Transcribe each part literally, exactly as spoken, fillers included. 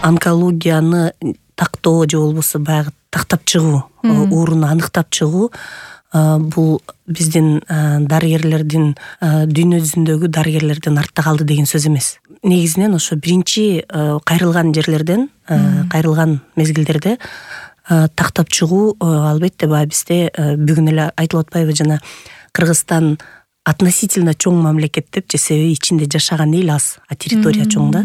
онкологияны тактоо же болбосо баягы тактап чыгуу, ооруну аныктап чыгуу бул биздин дарыгерлердин, дүйнө жүзүндөгү дарыгерлердин артта калды деген сөз эмес. Негизинен ошо биринчи кайрылган жерлерден, кайрылган мезгилдерде тактап чыгуу албетте баягы бизде бүгүн эле айтылып атпайбы, жана Кыргызстан относительно чоң мамлекет деп, же себеби ичинде жашаган эл аз, а территория чоң да.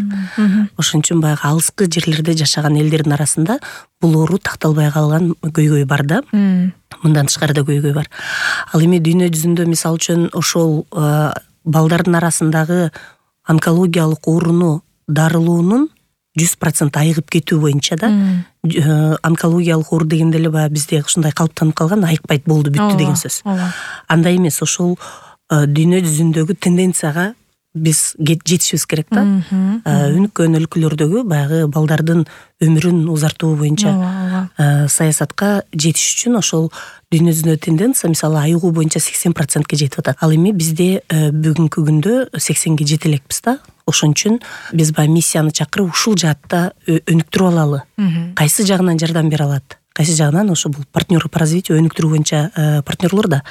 Ошон үчүн баягы алыскы жерлерде жашаган элдердин арасында бул оору такталбай калган көйгөй бар да. Мындан тышкары да көйгөй бар. Ал эми дүйнө жүзүндө мисалы үчүн ошол балдардын арасындагы онкологиялык ооруну дарылоонун жүз процент айыгып кетүү боюнча да, онкологиялык оору дегенде эле баягы бизде ушундай калыптанып калган, айыкпайт болду бүттү деген сөз. Андай эмес, ошол дүйнө жүзүндөгү тенденцияга биз жетишибиз керек да. Өнүккөн өлкөлөрдөгү баягы балдардын өмүрүн узартуу боюнча саясатка жетиш үчүн ошол дүйнө жүзүндөгү тенденция мисалы айыгуу боюнча сексен процентке жетип атат. Ал эми бизде бүгүнкү күндө сексенге жете элекпиз да. Ошон үчүн биз баягы миссияны чакырып ушул жаатта өнүктүрүп алалы. Кайсы жагынан жардам бере алат? Кайсы жагынан ошо бул партнеры по развитию өнүктүрүү боюнча партнерлор да.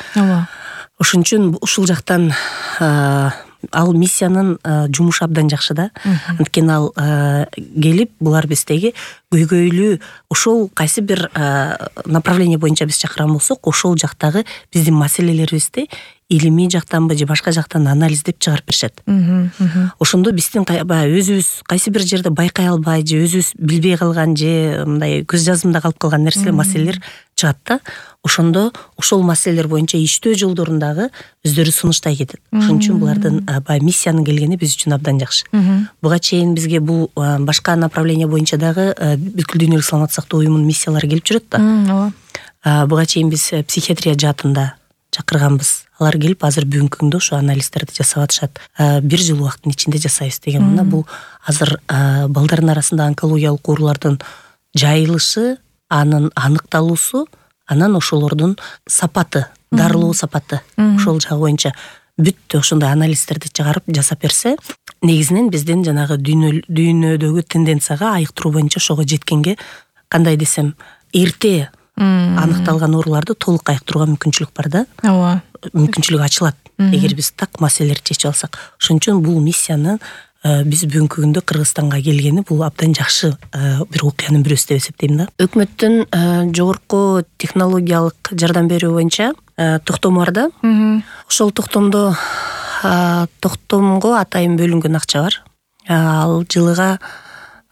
Ошон үчүн ушул жактан ал миссиянын жумушу абдан жакшы да. Анткени ал келип булар биздеги көйгөйлүү ошол кайсы бир направление боюнча биз чакырган болсок, ошол жактагы биздин маселелерибизди илимий жактанбы же башка жактан анализдеп чыгарып беришет. Ошондо биздин баягы өзүбүз кайсы бир жерде байкай албай же өзүбүз билбей калган же мындай көз жазымда калып калган нерселер, маселелер чыгат да. Ошондо ошол маселелер боюнча иштөө жолдорундагы өздөрү сунуштай кетет. Ошон үчүн булардын баягы миссиянын келгени биз үчүн абдан жакшы. Буга чейин бизге бул башка направление боюнча дагы бүткүл дүйнөлүк саламаттык сактоо уюмунун миссиялары келип жүрөт да. Буга чейин биз психиатрия жаатында чакырганбыз. Алар келип азыр бүгүнкү күндө ошо анализдерди жасап атышат. Бир жыл убакыттын ичинде жасайбыз деген мына бул азыр балдардын арасында онкологиялык оорулардын жайылышы, анын аныкталуусу, анан ошолордун сапаты, дарылоо сапаты ошол жагы боюнча бүттү ошондой анализдерди чыгарып жасап берсе, негизинен биздин жанагы дүйнөдөгү тенденцияга айыктыруу боюнча ошого жеткенге, кандай десем, эрте аныкталган ооруларды толук айыктырууга мүмкүнчүлүк бар да. Ооба. Мүмкүнчүлүк ачылат, эгер биз так маселелерди чечип алсак. Ошон үчүн бул миссияны биз бүгүнкү күндө Кыргызстанга келгени бул абдан жакшы бир окуянын бирөөсү деп эсептейм да. Өкмөттүн жогорку технологиялык жардам берүү боюнча токтому бар да. Ошол токтомдо токтомго атайын бөлүнгөн акча бар. Ал жылыга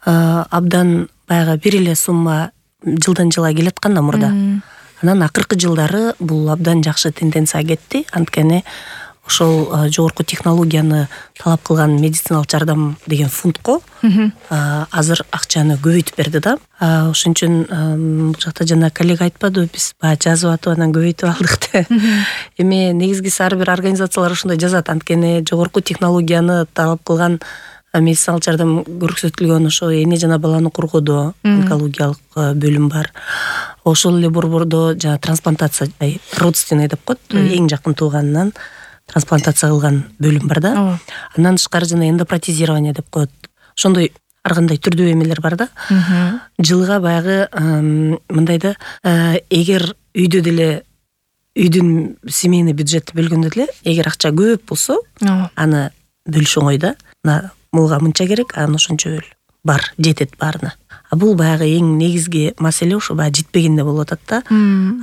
абдан баягы бир эле сумма жылдан жылга келаткан да мурда. Анан акыркы жылдары бул абдан жакшы тенденция кетти. Анткени ошол жогорку технологияны талап кылган медициналык жардам деген фондко азыр акчаны көбөйтүп берди да. Ошон үчүн бул жакта жана коллега айтпадыбы, биз баягы жазып атып анан көбөйтүп алдык деп. Эми негизгиси ар бир организациялар ошондой жазат. Анткени жогорку технологияны талап кылган медициналык жардам көрсөтүлгөн ошо эне жана баланы коргоодо онкологиялык бөлүм бар. Ошол эле борбордо жана трансплантация, родственный деп коет, эң жакын тууганынан трансплантация кылган бөлүм бар да. Андан тышкары жана эндопротезирование деп коет. Ошондой ар кандай түрдүү эмелер бар да. Жылга баягы мындай да, эгер үйдө деле үйдүн семейный бюджетти бөлгөндө деле эгер акча көп болсо, аны бөлүш оңой да. Муга мынча керек, анан ошончо бөл. Бар, жетет баарына. А бул баягы эң негизги маселе ошо баягы жетпегенде болуп атат да.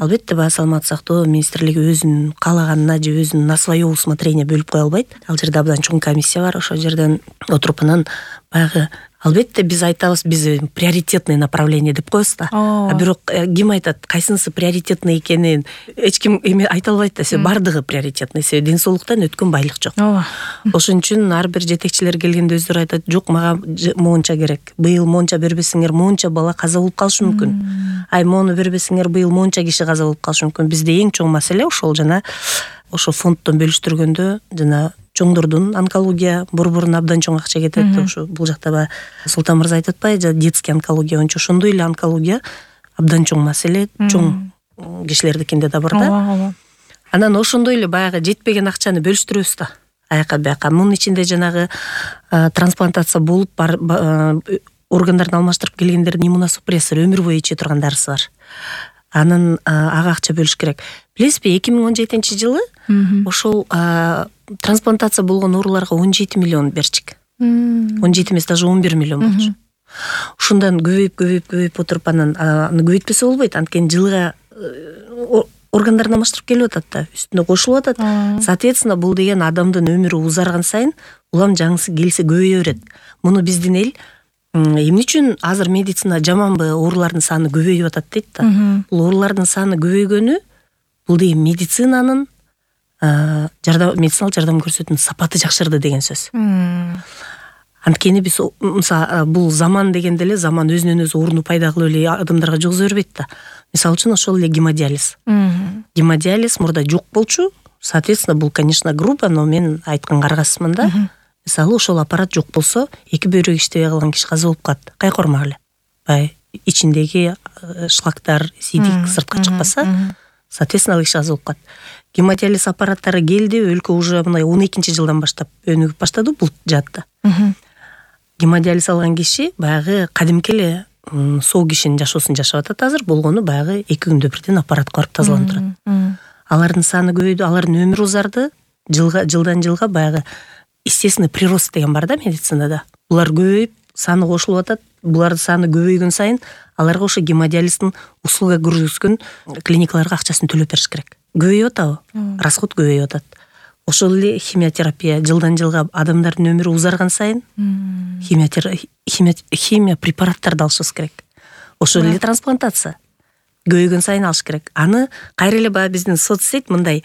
Албетте баягы саламаттык сактоо министрлиги өзүнүн каалаганына же өзүнүн на свое усмотрение бөлүп кое албайт. Ал жерде абдан чоң комиссия бар, ошол жерден отуруп анан баягы албетте биз айтабыз, биз приоритетный направление деп коебуз да. А бирок ким айтат, кайсынысы приоритетный экенин эч ким эме айта албайт да. Себеби бардыгы приоритетный, себеби ден соолуктан өткөн байлык жок. Ошон үчүн ар бир жетекчилер келгенде өздөрү айтат, жок мага моунча керек. Быйыл моунча бербесеңер, моунча бала каза болуп калышы мүмкүн. Ай моуну бербесеңер, быйыл моунча киши каза болуп калышы мүмкүн. Бизде эң чоң маселе ошол жана ошо фонддон бөлүштүргөндө жана чоңдордун онкология борборуна абдан чоң акча кетет. Ошо бул жакта баягы Султан мырза айтып атпайбы, детский онкология боюнча ошондой эле онкология абдан чоң маселе, чоң кишилердикинде да бар да. Анан ошондой эле баягы жетпеген акчаны бөлүштүрөбүз да. Аяка бияка. Мунун ичинде жанагы трансплантация болуп органдарын алмаштырып келгендердин иммуносупрессор өмүр бою иче турган дарысы бар. Анын ага акча бөлүш керек. Билесизби, эки миң он жетинчи жылы ошол трансплантация болгон ооруларга он жети миллион берчик. он жети эмес, даже он бир миллион болчу. Ушундан көбөйүп көбөйүп көбөйүп отуруп анан аны көбөйтпөсө болбойт. Анткени жылга органдарын алмаштырып келип атат да, үстүнө кошулуп атат. Соответственно, бул деген адамдын өмүрү узарган сайын улам жаңысы келсе көбөйө берет. Муну биздин эл эмне үчүн азыр медицина жаманбы, оорулардын саны көбөйүп атат дейт да. Бул оорулардын саны көбөйгөнү бул деген медицинанын жардам медициналык жардам көрсөтүүнүн сапаты жакшырды деген сөз. Анткени биз мисалы бул заман дегенде эле заман өзүнөн өзү ооруну пайда кылып эле адамдарга жугуза бербейт да. Мисалы үчүн ошол эле гемодиализ. Гемодиализ мурда жок болчу. Соответственно, бул, конечно, грубо, но мен айтканга аргасызмын да. Мисалы, ошол аппарат жок болсо, эки бөйрөк иштебей калган киши каза болуп калат. Кайкормак эле. Бай ичиндеги шлактар, сийдик сыртка чыкпаса, соответственно, ал киши каза болуп калат. Гемодиализ аппараттары келди, өлкө уже мына он экинчи жылдан баштап өнүгүп баштады бул жаатта. Гемодиализ алган киши баягы кадимки эле соо кишинин жашоосун жашап атат азыр. Болгону баягы эки күндө бирден аппаратка барып тазаланып турат. Алардын саны көбөйдү, алардын өмүрү узарды. Жылга жылдан жылга баягы естественный прирост деген бар да медицинада. Булар көбөйүп, саны кошулуп атат. Булардын саны көбөйгөн сайын аларга ошо гемодиализдин услуга көрсөткөн клиникаларга акчасын төлөп бериш керек. Көбөйүп атабы? Расход көбөйүп атат. Ошол эле химиотерапия жылдан жылга адамдардын өмүрү узарган сайын химия химия препараттарды алышыбыз керек. Ошол эле трансплантация көбөйгөн сайын алыш керек. Аны кайра эле баягы биздин соцсет мындай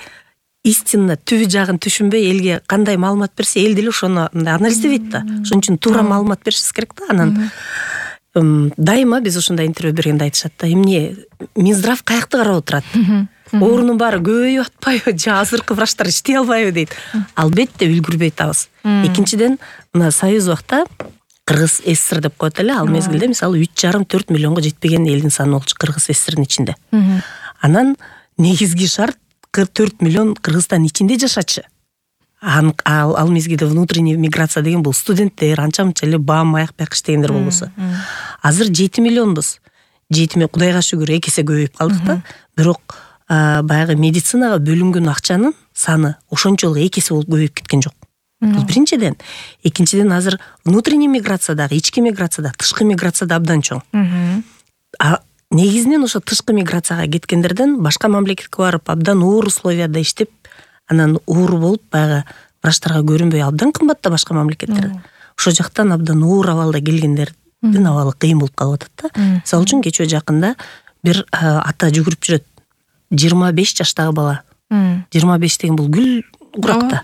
истинно түбү жагын түшүнбөй элге кандай маалымат берсе, эл деле ошону мындай анализдебейт да. Ошон үчүн туура маалымат беришибиз керек да. Анан дайыма биз ошондой интервью бергенде айтышат да, эмне Минздрав каякты карап отурат? Оорунун баары көбөйүп атпайбы, же азыркы врачтар иштей албайбы дейт. Албетте үлгүрбөй атабыз. Экинчиден, мына Союз убакта Кыргыз СССР деп коет эле, ал мезгилде мисалы үч жарым төрт миллионго жетпеген элдин саны болчу Кыргыз СССРдин ичинде. Анан негизги шарт төрт миллион Кыргызстан ичинде жашачы. Ал, ал мезгилде внутренняя миграция деген бул студенттер, анча-мынча эле бам аяк бияк иштегендер болбосо. Азыр жети миллионбуз. жети миллион, Кудайга шүгүр, эки эсе көбөйүп калдык да. Бирок баягы медицинага бөлүнгөн акчанын саны ошончолук эки эсе болуп көбөйүп кеткен жок. Бул биринчиден. Экинчиден, азыр внутренняя миграциядагы, ички миграцияда, тышкы миграцияда абдан чоң. А негизинен ошо тышкы миграцияга кеткендерден башка мамлекетке барып абдан оор условияда иштеп, анан оору болуп баягы врачтарга көрүнбөй абдан кымбат да башка мамлекеттерде. Ошол жактан абдан оор абалда келгендердин абалы кыйын болуп калып атат да. Мисалы үчүн кечөө жакында бир ата жүгүрүп жүрөт. жыйырма беш жаштагы бала. жыйырма беш деген бул гүл куракта.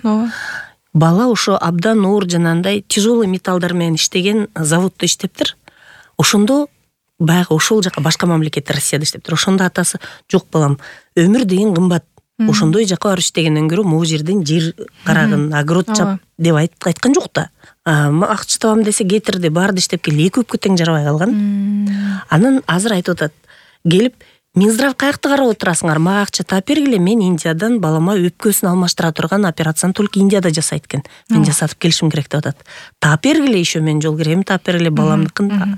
Бала ошо абдан оор жанагындай тяжелый металлдар менен иштеген заводдо иштептир. Ошондо баягы ошол жака башка мамлекетте, Россияда иштептир. Ошондо атасы, жок балам, өмүр деген кымбат. Ошондой жака барып иштегенден көрө могу жерден жер карагын, огород чап деп айткан жок да. Акча табам десе кетирди, барды иштеп келди, эки өпкө тең жарабай калган. Анан азыр айтып атат, келип Минздрав каякты карап отурасыңар, мага акча таап бергиле, мен Индиядан балама өпкөсүн алмаштыра турган операцияны только Индияда жасайт экен. Мен жасатып келишим керек деп атат. Таап бергиле, еще мен жол кирем, таап бергиле баламдыкын.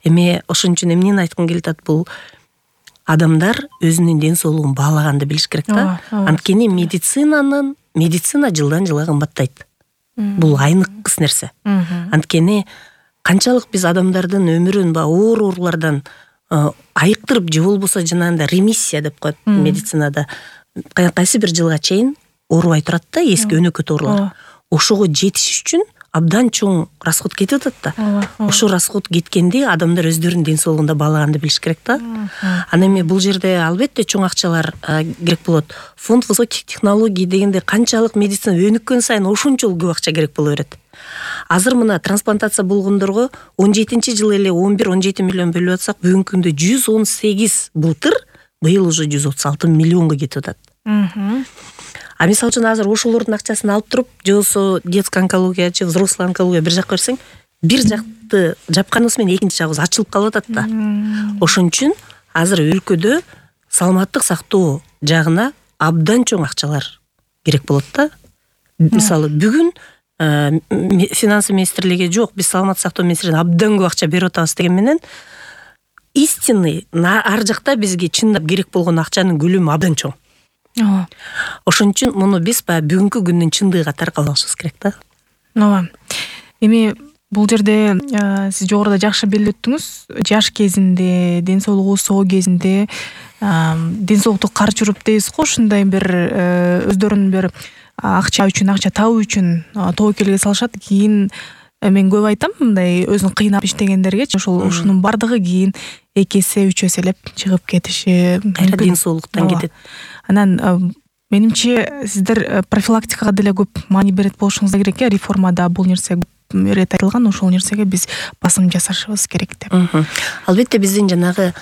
Эме ошон үчүн эмнени айткым келип атат, бул адамдар өзүнүн ден соолугун баалаганды билиш керек да. Анткени медицинанын медицина жылдан жылга кымбаттайт. Бул айныккыс нерсе. Анткени канчалык биз адамдардын өмүрүн ба оор оорулардан айыктырып, же болбосо жанагындай ремиссия деп коет медицинада. Кайсы бир жылга чейин оорубай турат да, эски өнөкөт оорулар. Ошого жетиш үчүн абдан чоң расход кетип атат да. Ошо расход кеткенде адамдар өздөрүнүн ден соолугунда баалаганды билиш керек да. Анан эми бул жерде албетте чоң акчалар керек болот. Фонд высоких технологий дегенде канчалык медицина өнүккөн сайын ошончолук көп акча керек боло берет. Азыр мына трансплантация болгондорго он жетинчи жылы эле он бир он жети миллион бөлүп атсак, бүгүнкү күндө жүз он сегиз былтыр, быйыл уже жүз отуз алты миллионго кетип атат. А мисалы үчүн азыр ошолордун акчасын алып туруп, же болбосо детский онкология, же взрослый онкология бир жакка берсең, бир жакты жапканыбыз менен экинчи жагыбыз ачылып калып атат да. Ошон үчүн азыр өлкөдө саламаттык сактоо жагына абдан чоң акчалар керек болот да. Мисалы бүгүн финансы министрлиги жок, биз саламаттык сактоо министрлигине абдан көп акча берип атабыз деген менен истинный ар жакта бизге чындап керек болгон акчанын көлөмү абдан чоң. Ооба. Ошон үчүн муну биз баягы бүгүнкү күндүн чындыгы катары кабыл алышыбыз керек да. Ооба. Эми бул жерде сиз жогоруда жакшы белгилеп өттүңүз. Жаш кезинде, ден соолугу соо кезинде ден соолукту карчы уруп дейбиз го, ушундай бир өздөрүнүн бир акча үчүн, акча табуу үчүн тобокелге салышат. Кийин мен көп айтам, мындай өзүн кыйнап иштегендергечи ошол ушунун бардыгы кийин эки эсе, үч эселеп чыгып кетиши мүмкүн. Ден соолуктан кетет. Анан менимче сиздер профилактикага деле көп маани берет болушуңуз керек. Реформада бул нерсе көп ирет айтылган, ошол нерсеге биз басым жасашыбыз керек деп. Албетте биздин жанагы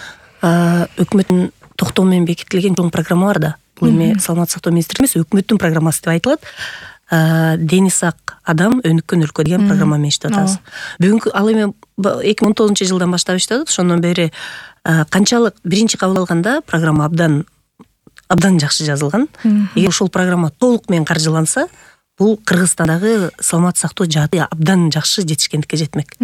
өкмөттүн токтому менен бекитилген чоң программа бар да. Бул эми саламаттык сактоо министрлиги эмес, өкмөттүн программасы деп айтылат. Дени сак адам өнүккөн өлкө деген программа менен иштеп атабыз. Бүгүнкү ал эми эки миң он тогузунчу жылдан баштап иштеп атат. Ошондон бери канчалык биринчи кабыл алганда программа абдан абдан жакшы жазылган. Эгер ошол программа толук менен каржыланса, бул Кыргызстандагы саламаттык сактоо жааты абдан жакшы жетишкендикке жетмек.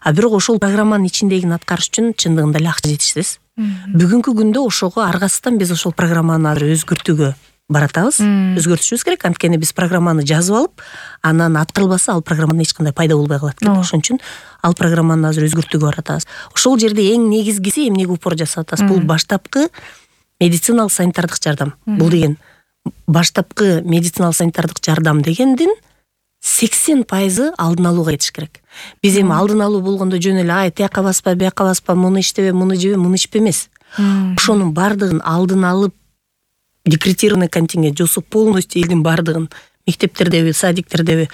А бирок ошол программанын ичиндегини аткарыш үчүн чындыгында эле акча жетишсиз. Бүгүнкү күндө ошого аргасыздан биз ошол программаны азыр өзгөртүүгө баратабыз. Өзгөртүшүбүз керек. Анткени биз программаны жазып алып, анан аткарылбаса, ал программадан эч кандай пайда болбой калат. Ошон үчүн ал программаны азыр өзгөртүүгө баратабыз. Ошол жерде эң негизгиси эмнеге упор жасап атабыз? Бул баштапкы медициналык санитардык жардам. Бул деген баштапкы медициналык санитардык жардам дегендин сексен пайызы алдын алууга кетиш керек. Биз эми алдын алуу болгондо жөн эле ай тияка баспа, бияка баспа, муну иштебе, муну жебе, муну ичпе эмес. Ошонун бардыгын алдын алып, декретированный контингент жосу полностью элдин бардыгын мектептердеби, садиктердеби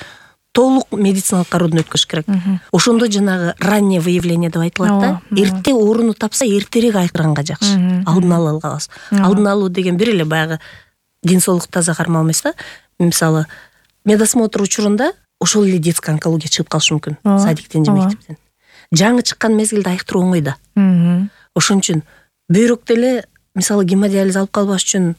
толук медициналык кароодон өткөзүш керек. Ошондо жанагы раннее выявление деп айтылат да. Эрте орунду тапса, эртерээк айыктырганга жакшы. Алдын ала алганбыз. Алдын алуу деген бир эле баягы ден соолук таза кармоо эмес да. Мисалы, медосмотр учурунда ошол эле детский онкология чыгып калышы мүмкүн. Садиктен же мектептен. Жаңы чыккан мезгилде айыктыруу оңой да. Ошон үчүн бөйрөктө эле мисалы гемодиализ алып калбаш үчүн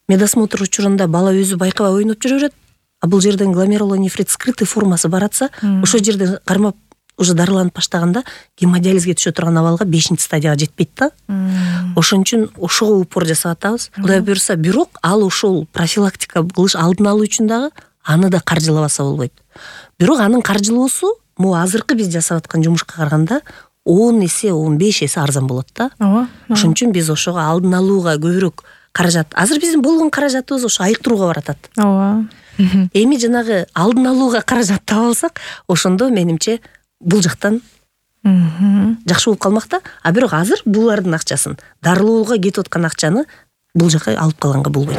медосмотр учурунда бала өзү байкабай ойноп жүрө берет. А бул жерден гломерулонефрит скрытый формасы баратса, ошол жерде кармап уже дарыланып баштаганда гемодиализге түшө турган абалга бешинчи стадияга жетпейт да. Ошон үчүн ошого упор жасап атабыз. Кудай буйрса, бирок ал ошол профилактика кылыш, алдын алуу үчүн дагы аны да каржылабаса болбойт. Бирок анын каржылоосу могу азыркы биз жасап аткан жумушка караганда он эсе, он беш эсе арзан болот да. Ошон үчүн биз ошого алдын алууга көбүрөөк каражат. Азыр биздин болгон каражатыбыз ошо айыктырууга баратат. Ооба. Эми жанагы алдын алууга каражат таба алсак, ошондо менимче бул жактан жакшы болуп калмак да. А бирок азыр булардын акчасын, дарылоого кетип аткан акчаны бул жака алып калганга болбойт.